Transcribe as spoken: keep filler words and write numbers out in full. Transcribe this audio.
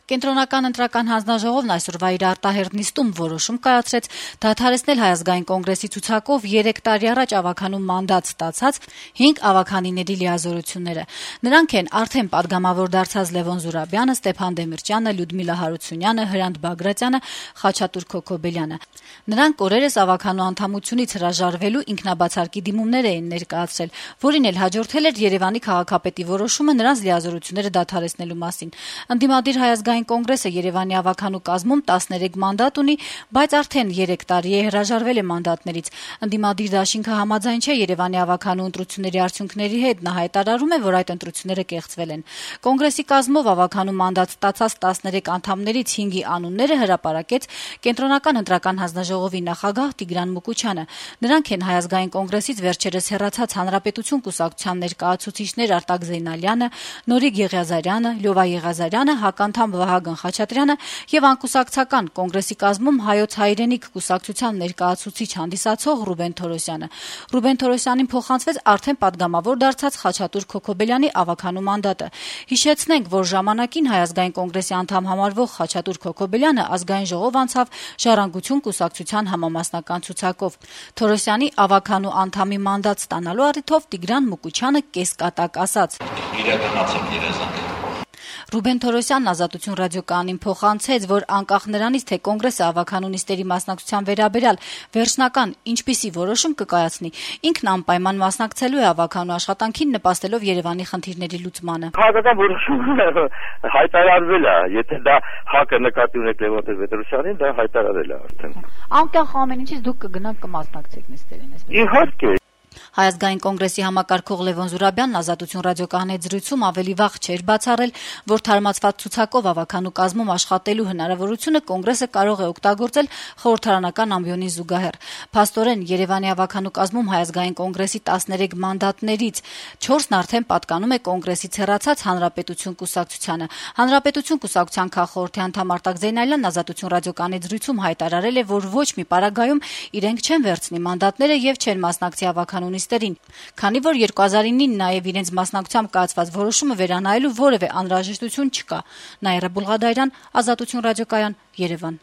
Կենտրոնական ընտրական հանձնաժողովն այսօրվա իր արտահերթ նիստում որոշում կայացրեց դադարեցնել Հայ ազգային կոնգրեսի ցուցակով երեք տարի առաջ ավականու մանդատ ստացած հինգ ավականիների լիազորությունները։ Նրանք են արդեն պատգամավոր դարձած Լևոն Զուրաբյանը, Ստեփան Դեմիրճյանը, Լյուդմիլա Հարությունյանը, Հրանտ Բագրատյանը, Խաչատուր Քոքոբելյանը։ Նրանք օրերս ավականու անդամությունից հրաժարվելու ինքնաբացարկի դիմումներ էին ներկայացրել, որին էլ հաջորդել էր Երևանի քաղաքապետի որոշումը նրանց լիազորությունները դադարեցնելու մասին։ Ընդդիմադիր Հայ ազգային կոնգրեսը Երևանի ավականու կազմում տասներեք մանդատ ունի, բայց արդեն երեք տարի է հրաժարվել է մանդատներից։ Ընդդիմադիր դաշինքը համաձայն չէ Երևանի ավականու ընտրությունների արդյունքների հետ, նա հայտարարում է, որ այդ ընտրությունները կեղծվել են։ Կոնգրեսի կազմով ավականու մանդատ ստացած տասներեք անդամներից հինգի անունները հրապարակեց Կենտրոնական ընտրական հանձնաժողովի նախագահ Տիգրան Մուկուչյանը։ Նրանք են Հայ ազգային կոնգրեսից վերջերս հեռացած Հանրապետություն կուսակցության ներկայացուցիչներ Արտակ Զեյնալյանը, Նորիկ Եղիազարյանը, Լյովա Եղիազարյանը, հականդամ Վահագն Խաչատրյանը եւ անկուսակցական կոնգրեսի կազմում Հայոց հայրենիք կուսակցության ներկայացուցիչ հանդիսացող Ռուբեն Թորոսյանը։ Ռուբեն Թորոսյանին փոխանցվեց արդեն պատգամավոր դարձած Խաչատուր Քոքոբելյանի ավականու մանդատը։ Հիշեցնենք, որ ժամանակին Հայ ազգային կոնգրեսի անդամ համարվող Խաչատուր Քոքոբելյանը ազգային ժողով անցավ Ժառանգություն կուսակցության համամասնական ցուցակով։ Թորոսյանի ավականու անդամի մանդատ ստանալու առիթով Տիգրան Մուկուչյանը կեսկատակ ասաց. Իրականացել երազանք։ Ռուբեն Թորոսյանն Ազատություն ռադիոկայանին փոխանցեց, որ անկախ նրանից, թե կոնգրեսը ավականու նիստերի մասնակցության վերաբերյալ վերջնական ինչպիսի որոշում կկայացնի, ինքն անպայման մասնակցելու է ավականու աշխատանքին, նպաստելով Երևանի խնդիրների լուծմանը։ Քաղաքական որոշումը հայտարարվել է, եթե դա ՀԱԿ-ը նկատի ունի Լևոն Տեր-Պետրոսյանին, դա հայտարարել է արդեն։ Անկախ ամեն ինչից դուք կգնաք կմասնակցեք նիստերին, այսպես։ Իհարկե։ Հայ ազգային կոնգրեսի համակարգող Լևոն Զուրաբյանն Ազատություն ռադիոկայանի հետ զրույցում ավելի վաղ չէր բացառել, որ թարմացված ցուցակով ավականու կազմում աշխատելու հնարավորությունը կոնգրեսը կարող է օգտագործել խորհրդարանական ամբիոնին զուգահեռ։ Փաստորեն Երևանի ավականու կազմում Հայ ազգային կոնգրեսի տասներեք մանդատներից չորսն արդեն պատկանում է կոնգրեսից հեռացած Հանրապետություն կուսակցությանը։ Հանրապետություն կուսակցության քաղխորհրդի անդամ Արտակ Զեյնալյանն Ազատություն ռադիոկայանի զրույցում հայտարարել է, որ ոչ մի պարագայում իրենք չեն վերցնի մանդատները եւ չեն մասնակցի ավականու նիստերին, քանի որ երկու հազար ինին նաև իրենց մասնակցությամբ կայացված որոշումը վերանայելու որևէ անհրաժեշտություն չկա։ Նաիրա Բուլղադարյան, Ազատություն ռադիոկայան, Երևան։